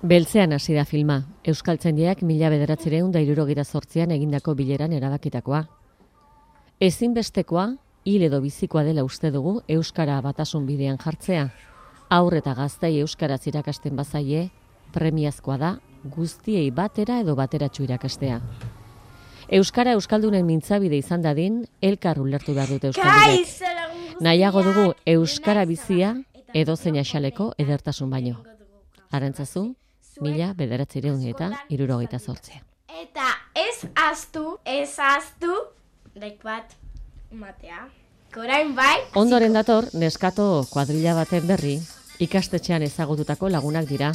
Beltzean hasi da filma, Euskaltzaindiak 1978an egindako bileran erabakitakoa. Ezinbestekoa, hil edo bizikoa dela uste dugu euskara batasun bidean jartzea. Haur eta gaztei euskaraz irakasten bazaie, premiazkoa da guztiei batera edo bateratsu irakastea. Euskara euskaldunen mintzabide izan dadin, elkar ulertu behar dute euskaldunek. Nahiago dugu euskara bizia edozein axaleko edertasun baino. Arantzazu, 1978. Eta ez ahaztu, lek bat matea. Korain bai. Ondoren dator, neskato kuadrilla baten berri, ikastetxean ezagututako lagunak dira,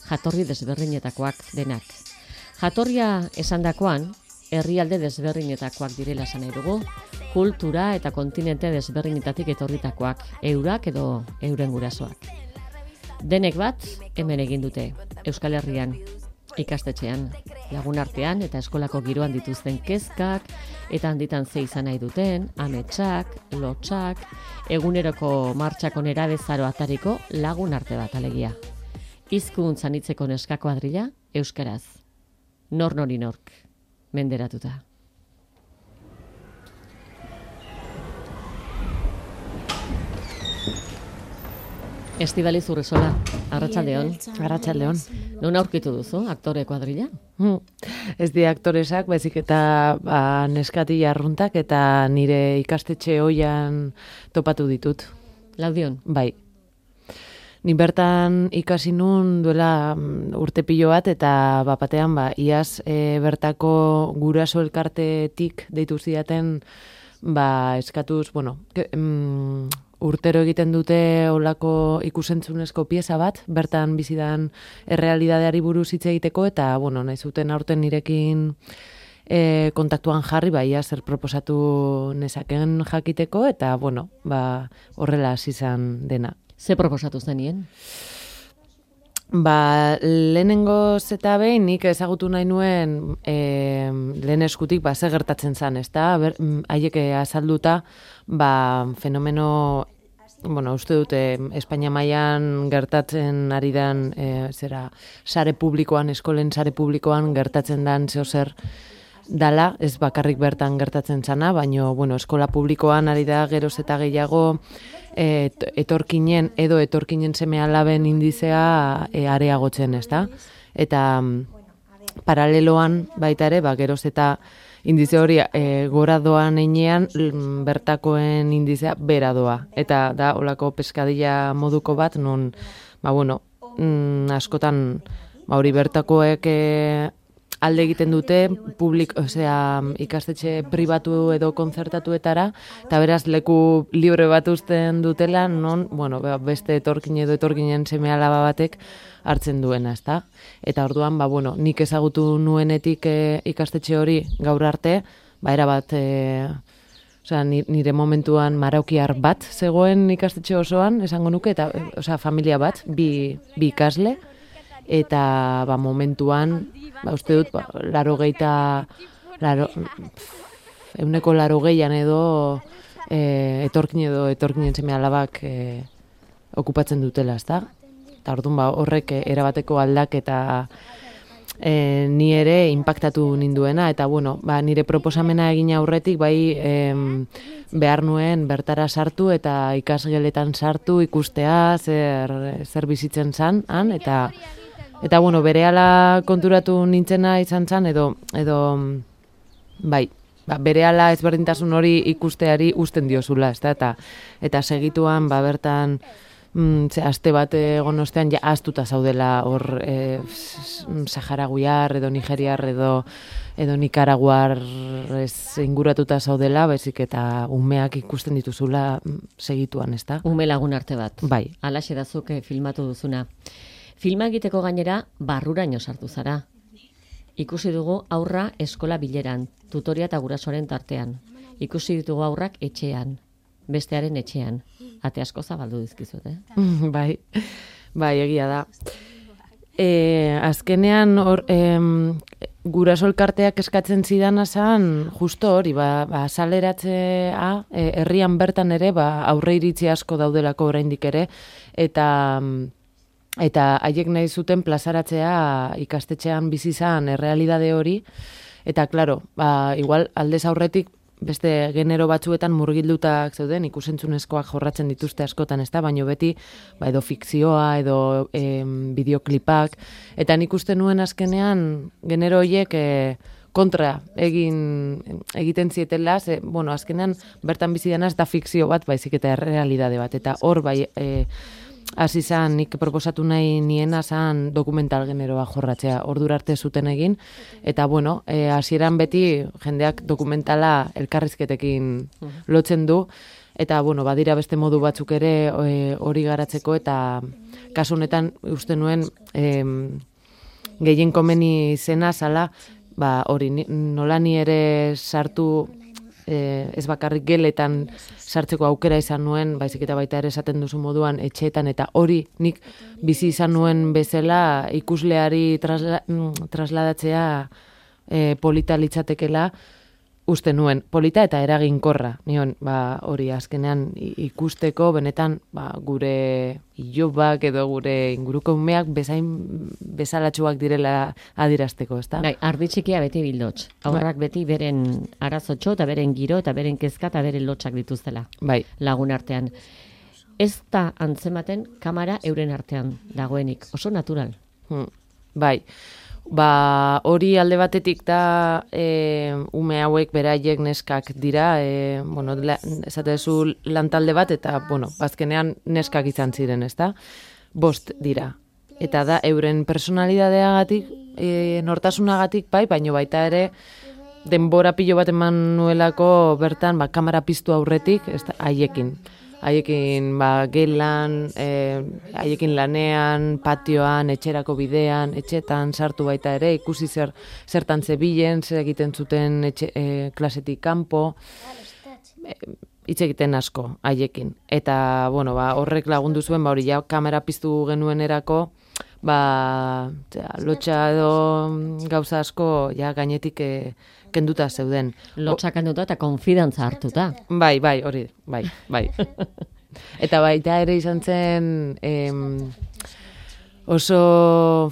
jatorri desberdinetakoak denak. Jatorria esandakoan, herrialde desberdinetakoak direla esan nahi dugu, kultura eta kontinente desberdinetatik etorritakoak, eurak edo euren gurasoak. Denek bat, hemen egin dute, Euskal Herrian, ikastetxean, lagun artean eta eskolako giroan dituzten kezkak, eta handitan ze izan nahi duten, ametsak, lotsak, eguneroko martxako nerabezaro atariko lagun arte bat alegia. Hizkuntza anitzeko neska kuadrilla, euskaraz. Nor nori nork, menderatuta. Estibaliz Urresola, arratsaldeon. Arratsaldeon. Non aurkitu duzu aktore kuadrilla? Ez di aktoresak, baizik eta neskati arruntak eta nire ikastetxe oian topatu ditut. Laudion? Bai. Ni bertan ikasi nun duela urte pilo bat eta bapatean iaz bertako guraso elkartetik deitu zidaten eskatuz, urtero egiten dute olako ikusentzunezko pieza bat, bertan bizidan errealidadeari buruz hitz egiteko, eta, nahi zuten aurten nirekin kontaktuan jarri, zer proposatu nezaken jakiteko, eta, horrela hasi izan dena. Ze proposatu zenien? Lehenengoz eta behin nik ezagutu nahi nuen lehen eskutik ze gertatzen zen, ezta? Haiek azalduta fenomeno, uste dute Espainia mailan gertatzen ari dan sare publikoan, eskolen sare publikoan gertatzen dan zer dala, ez bakarrik bertan gertatzen zana, baina eskola publikoan ari da geroz eta gehiago etorkinen seme alaben indizea areagotzen, ezta? Eta paraleloan baita ere, geroz eta indize hori gora doan einean bertakoen indizea bera doa. Eta da olako peskadilla moduko bat, non, askotan hori bertakoek alde egiten dute ikastetxe pribatu edo kontzertatuetara, eta beraz leku libre bat uzten dutela, non, beste etorkin edo etorkinen seme alaba batek hartzen duena, ezta? Eta orduan, nik ezagutu nuenetik ikastetxe hori gaur arte, erabat, nire momentuan maraukiar bat zegoen ikastetxe osoan, esango nuke, eta familia bat, bi ikasle, eta momentuan, uste dut, 80an edo etorkinen seme alabak okupatzen dutela, ezta? Eta orduan horrek erabateko aldaketa ni ere inpaktatu ninduena, eta nire proposamena egin aurretik behar nuen bertara sartu eta ikasgeletan sartu ikustea zer bizitzen zan, eta berehala konturatu nintzena izan zen, edo berehala ezberdintasun hori ikusteari uzten diozula, eta segituan bertan aste bat egon ostean ahaztuta zaudela hor saharaguiar edo nigeriar edo nikaraguar inguratuta zaudela, baizik eta umeak ikusten dituzula segituan, ezta? Ume lagun arte bat. Bai. Halaxe da zuk filmatu duzuna. Filma egiteko gainera barruraino sartu zara. Ikusi dugu haurra eskola bileran, tutoria eta gurasoaren tartean. Ikusi ditugu haurrak etxean, bestearen etxean. Ate asko zabaldu dizkizut, Bai, egia da. Azkenean guraso elkarteak eskatzen zidana zan, justo hori, azaleratzea, herrian bertan ere, aurre iritzi asko daudelako oraindik ere, eta haiek nahi zuten plazaratzea ikastetxean bizi izan errealidade hori, eta, klaro, igual aldez aurretik, beste genero batzuetan murgildutak zeuden, ikusentzunezkoak jorratzen dituzte askotan, ez da, baino beti, edo fikzioa, edo bideoklipak, eta nik uste nuen azkenean genero horiek kontra egiten zietela, azkenean bertan bizi dena ez da fikzio bat, baizik eta errealidade bat, eta hor hasi zan, nik proposatu nahi niena zan dokumental generoa jorratzea, ordura arte zuten egin, eta hasieran beti jendeak dokumentala elkarrizketekin lotzen du, eta badira beste modu batzuk ere hori garatzeko, eta kasu honetan uste nuen gehien komeni zena zala, hori nola ni ere sartu ez bakarrik geletan sartzeko aukera izan nuen, baizik eta baita ere esaten duzu moduan etxeetan, eta hori nik bizi izan nuen bezala ikusleari trasladatzea polita litzatekela, uste nuen, polita eta eraginkorra, nion, hori azkenean ikusteko benetan gure ilobak edo gure inguruko umeak bezalatxuak direla adirazteko, ezta? Ardi txikia beti bildotx. Aurrak beti beren arazotxo eta beren giro eta beren kezka eta beren lotxak dituztela. Lagun artean. Ez da antzematen kamera euren artean dagoenik. Oso natural. Hori alde batetik da ume hauek beraiek neskak dira, esatezu lantalde bat, eta, azkenean neskak izan ziren, ezta? 5 dira. Eta da, euren personalidadeagatik, nortasunagatik baino baita ere, denbora pilo bat eman nuelako bertan, kamera piztu aurretik, haiekin. Haiekin gelan, haiekin lanean, patioan, etxerako bidean, etxetan sartu baita ere, ikusi zertan zebilen, zer egiten zuten klasetik kanpo, hitz egiten asko haiekin. Eta, horrek lagundu zuen, hori kamera piztu genuenerako, lotxa edo gauza asko gainetik kenduta zeuden. Lotxa kenduta eta konfidantza hartuta. Hori, bai. Eta baita ere izan zen oso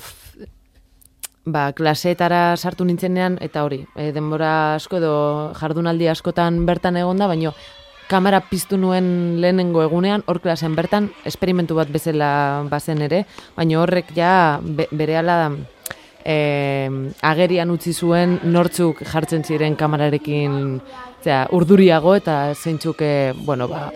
klaseetara sartu nintzenean, eta hori, denbora asko edo jardunaldi askotan bertan egonda, baino kamera piztu nuen lehenengo egunean, hor klasean bertan, esperimentu bat bezala bazen ere, baina horrek berehala agerian utzi zuen nortzuk jartzen ziren kamerarekin urduriago, eta zeintzuk,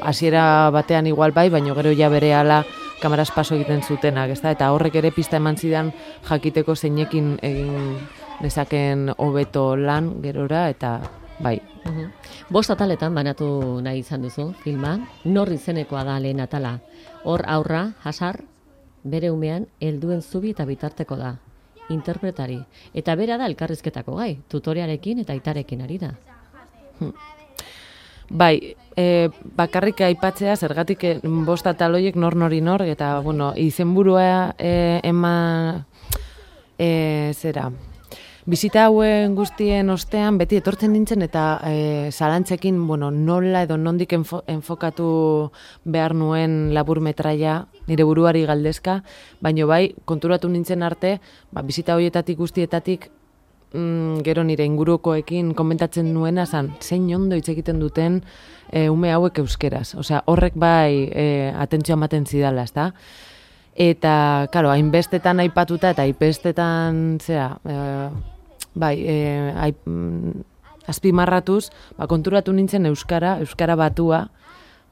hasiera batean igual baina gero berehala kameraz paso egiten zutenak, ezta? Eta horrek ere pista eman zidan jakiteko zeinekin egin dezaken hobeto lan gerora, eta bai. 5 ataletan banatu nahi izan duzu filma, nor izenekoa da lehen atala. Hor aurra, Hasar, bere umean helduen zubi eta bitarteko da, interpretari. Eta bera da elkarrizketako gai, tutorearekin eta aitarekin ari da. Bai, bakarrik aipatzea, zergatik 5 atal horiek nori nor, eta, izenburua zera. Bizita hauen guztien ostean, beti etortzen nintzen, eta zalantzekin, nola edo nondik enfokatu behar nuen laburmetraia, nire buruari galdezka, baino bai, konturatu nintzen arte, bizita horietatik guztietatik, gero nire ingurukoekin komentatzen nuena zan, zein ondo hitz egiten duten ume hauek euskeraz. Osea, horrek bai atentzioa ematen zidala, ezta? Eta, karo, hainbestetan aipatuta eta hainbestetan, azpimarratuz, konturatu nintzen euskara batua,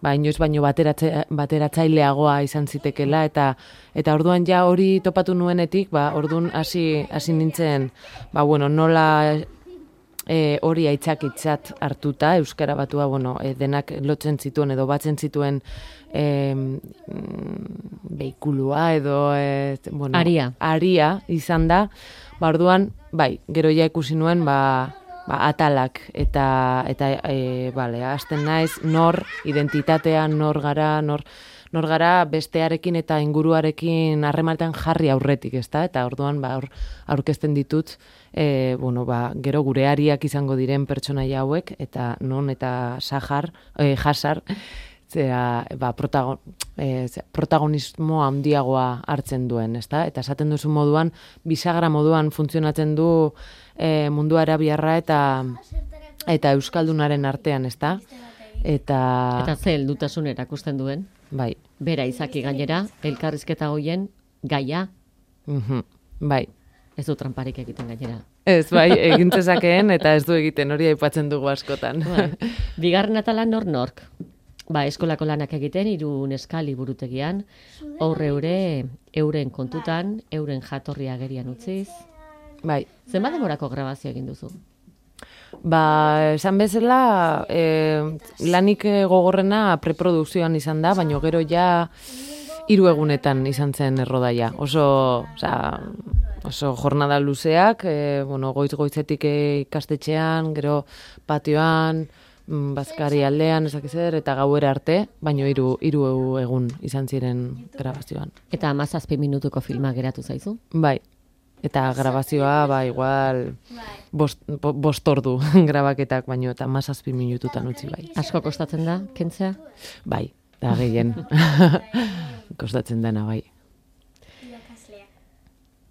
inoiz baino bateratzaileagoa izan zitekela, eta orduan hori topatu nuenetik, orduan hasi nintzen, nola hori aitzakitzat hartuta, euskara batua, denak lotzen zituen edo batzen zituen behikulua edo aria izan da, orduan, gero ikusi nuen, atalak eta bale, hasten naiz nor identitatea, nor gara bestearekin eta inguruarekin harremanetan jarri aurretik, ezta? Eta orduan aurkezten ditut gero gureariak izango diren pertsonaia hauek eta non eta jasar protagonismo handiagoa hartzen duen, ezta? Eta esaten duzu moduan, bisagra moduan funtzionatzen du mundu arabiarra eta euskaldunaren artean, ezta? Eta ze heldutasun erakusten duen? Bai. Bera izaki gainera, elkarrizketa hoien gaia? Bai. Ez du tramparik egiten gainera. Ez, bai, egintzezakeen eta ez du egiten, hori aipatzen dugu askotan. Bai. Bigarren atala nork. Eskolako lanak egiten, 3 neska liburutegian, euren kontutan, euren jatorria agerian utziz. Bai. Zenbat demorako grabazio egin duzu? Esan bezala, lanik gogorrena preprodukzioan izan da, baina gero ja 3 egunetan izan zen errodaia. Oso jornada luzeak, goiz-goizetik ikastetxean, gero patioan, bazkari aldean, ezakizer, eta gauera arte, baina 3 egun izan ziren grabazioan. Eta 17 minutuko filma geratu zaizu? Bai. Eta grabazioa, igual, 5 ordu grabaketak, baino, eta 17 minututan utzi bai. Asko kostatzen da, kentzea? Bai, da gehien. Kostatzen dena, bai.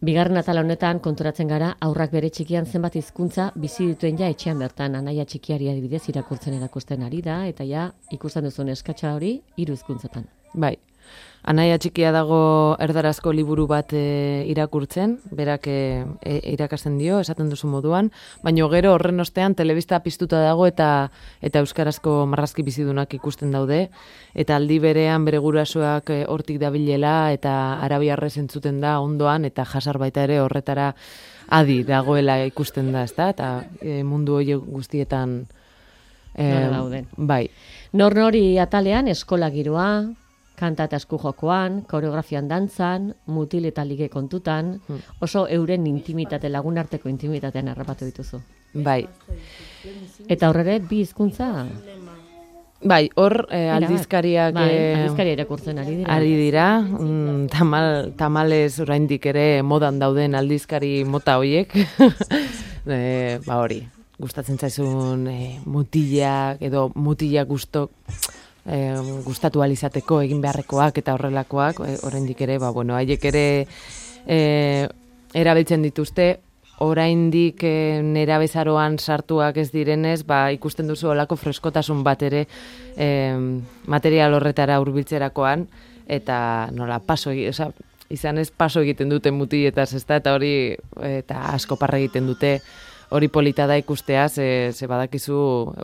Bigarren atala honetan konturatzen gara, aurrak bere txikian zenbat hizkuntza bizi dituen ja etxean bertan, anaia txikiari adibidez irakurtzen erakusten ari da, eta ja ikusten duzun eskatxa hori 3 hizkuntzetan. Bai. Anaia txikia dago erdarazko liburu bat irakurtzen, berak irakasten dio, esaten duzu moduan, baina gero horren ostean telebista piztuta dago eta euskarazko marrazki bizidunak ikusten daude, eta aldi berean bere gurasoak hortik dabilela eta arabiarrez entzuten da ondoan, eta jasar baita ere horretara adi dagoela ikusten da, ezta? Eta mundu hori guztietan dauden. Bai. Nori atalean eskola giroa, kanta eta esku jokoan, koreografian dantzan, mutil eta lige kontutan, oso euren intimitate, lagunarteko intimitatean harrapatu dituzu. Bai. Eta horre 2 hizkuntza? Bai, hor aldizkariak... aldizkaria irakurtzen ari dira. Ari dira, tamalez oraindik ere modan dauden aldizkari mota hoiek. Hori, gustatzen zaizun mutilak edo mutilak gustatu alizateko egin beharrekoak eta horrelakoak, oraindik ere, haiek ere erabiltzen dituzte, oraindik nerabezaroan sartuak ez direnez, ikusten duzu olako freskotasun bat ere material horretara hurbiltzerakoan, eta nola, izan ez paso egiten dute mutiletaz, eta hori, eta asko parra egiten dute, hori polita da ikustea, ze badakizu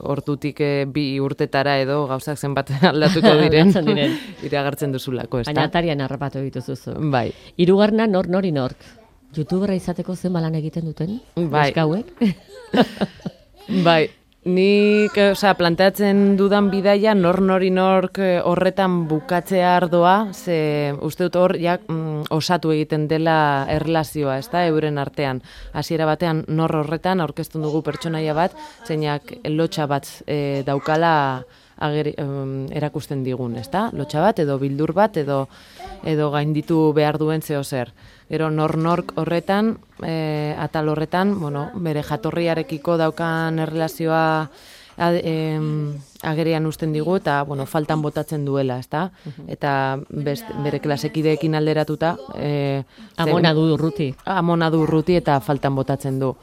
hortutik 2 urtetara edo gauzak zenbat aldatuko diren, iragartzen duzulako, ez da? Baina atarian harrapatu dituzuzu. Bai. 3. nork. YouTubera izateko zen balan egiten duten? Bai. Eskauek? Bai. Nik planteatzen dudan bidaia nork horretan bukatzea ardoa, ze uste dut hor osatu egiten dela erlazioa, ez da, euren artean. Hasiera batean nor horretan aurkezten dugu pertsonaia bat, zeinak lotxa bat daukala erakusten digun, ez da? Lotxa bat edo bildur bat edo gainditu behar duen zeo zer. Gero nork horretan, atal horretan, bere jatorriarekiko daukan erlazioa agerian uzten digu eta faltan botatzen duela, ezta? Eta bere klasekideekin alderatuta Amona du urruti. Amona du urruti eta faltan botatzen du.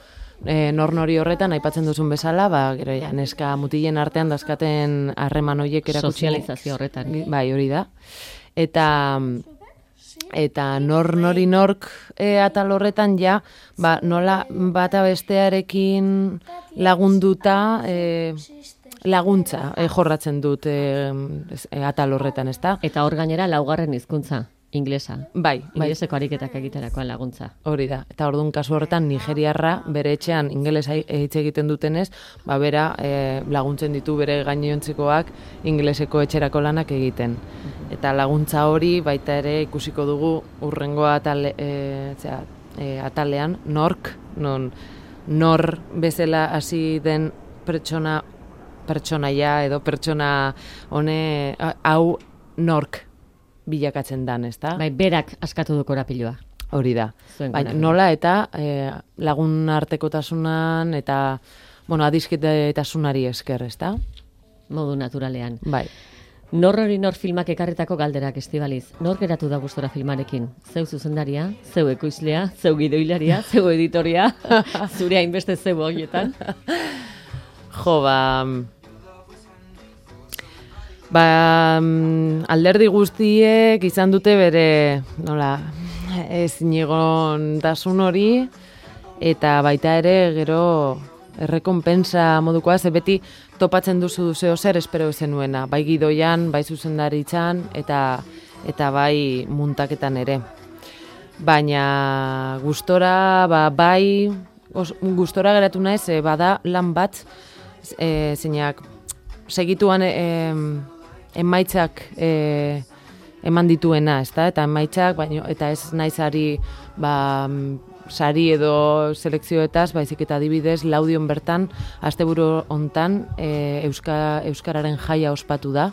Nori horretan aipatzen duzun bezala, gero neska mutilen artean dazkaten harreman horiek erakutsi. Sozializazio horretan. Bai, hori da. Eta nork atal horretan nola bata bestearekin lagunduta laguntza jorratzen dut atal horretan, ezta? Eta hor gainera 4. hizkuntza, inglesa. Bai. Ingleseko ariketak egiterakoan laguntza. Hori da. Eta orduan kasu horretan nigeriarra bere etxean ingelesa hitz egiten dutenez, bera laguntzen ditu bere gainontzikoak ingleseko etxerako lanak egiten. Eta laguntza hori baita ere ikusiko dugu urrengo atalean, nork, non nor bezala hasi den pertsonaia edo pertsona hau nork bilakatzen dan, ezta? Bai, berak askatu du korapiloa. Hori da. Zuen Baina korapilua. nola eta lagun artekotasunan eta adiskidetasunari esker, ezta? Modu naturalean. Bai. Nor hori nor filmak ekarretako galderak, Estibaliz. Nor geratu da gustora filmarekin? Zeu zuzendaria, zeu ekoizlea, zeu gidoilaria, zeu editoria, zure hainbeste zeu horietan. Jo, alderdi guztiek izan dute bere, ezinegontasun hori, eta baita ere gero errekonpensa modukoa, ze beti topatzen duzu zeo zer espero zenuena, bai gidoian, bai zuzendaritzan, eta bai muntaketan ere. Baina gustora, gustora geratu naiz, bada lan bat, zeinak segituan emaitzak eman dituena, ezta? Eta emaitzak, eta ez naizari sari edo selekzioetaz, baizik eta adibidez Laudion bertan, asteburu hontan euskararen jaia ospatu da,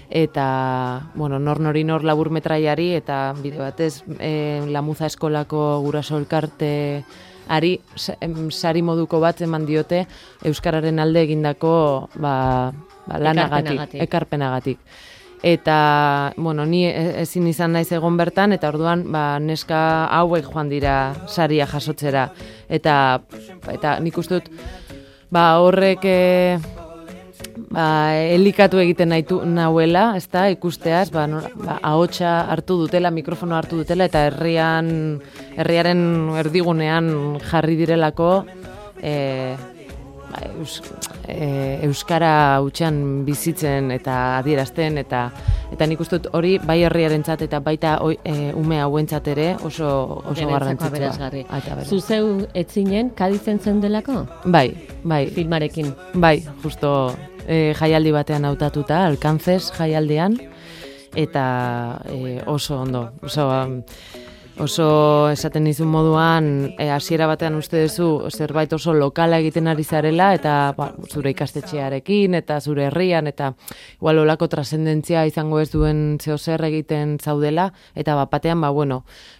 eta nor labur metraiari, eta bide batez Lamuza eskolako guraso elkarte ari sari moduko bat eman diote euskararen alde egindako lanagatik, ekarpenagatik. Eta, ni ezin izan naiz egon bertan, eta orduan neska hauek joan dira saria jasotzera. Eta nik uste dut horrek elikatu egiten nahuela, ezta, ikusteaz, ahotsa hartu dutela, mikrofono hartu dutela, eta herriaren erdigunean jarri direlako euskara hutsean bizitzen eta adierazten, eta nik uste dut hori bai herriarentzat eta baita ume hauentzat ere oso garrantzitsua. Zuzeu etzinen Kadizen zeundelako? Bai. Filmarekin? Bai, justo jaialdi batean hautatuta, Alcances jaialdean, eta oso ondo, oso esaten dizun moduan, hasiera batean uste duzu zerbait oso lokala egiten ari zarela, eta zure ikastetxearekin, eta zure herrian, eta igual olako trascendentzia izango ez duen zeo zer egiten zaudela, eta batean,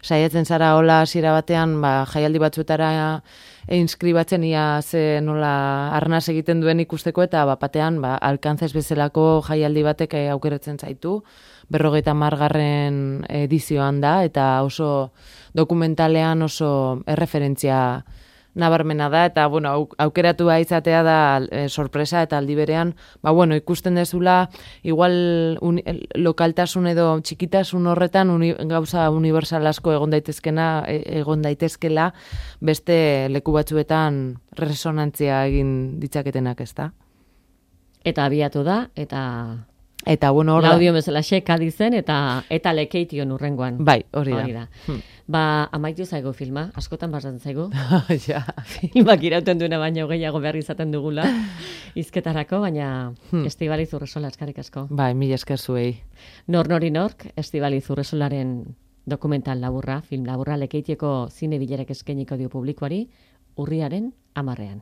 saiatzen zara hola hasiera batean, jaialdi batzuetara inskribatzen ia ze nola arnaz egiten duen ikusteko, eta batean, Alcances bezalako jaialdi batek aukeratzen zaitu, 50. edizioan da, eta oso dokumentalean oso erreferentzia nabarmena da, eta aukeratua izatea da sorpresa, eta aldi berean, ikusten dezula, igual lokaltasun edo txikitasun horretan gauza universal asko egon daitezkela beste leku batzuetan resonantzia egin ditzaketenak, ezta? Eta abiatu da, eta Laudio bezala Kadizen eta Lekeition urrengoan. Bai, hori da. Amaitu zaigu filma, askotan basatzen zaigu. Ja. Filmak irauten duena baino gehiago behar izaten dugula hizketarako, baina Estibaliz Urresola, eskerrik asko. Bai, mila esker zuei. Nori nork, Estibaliz Urresolaren dokumental laburra, film laburra Lekeitieko zine bilerak eskainiko dio publikoari urriaren 10.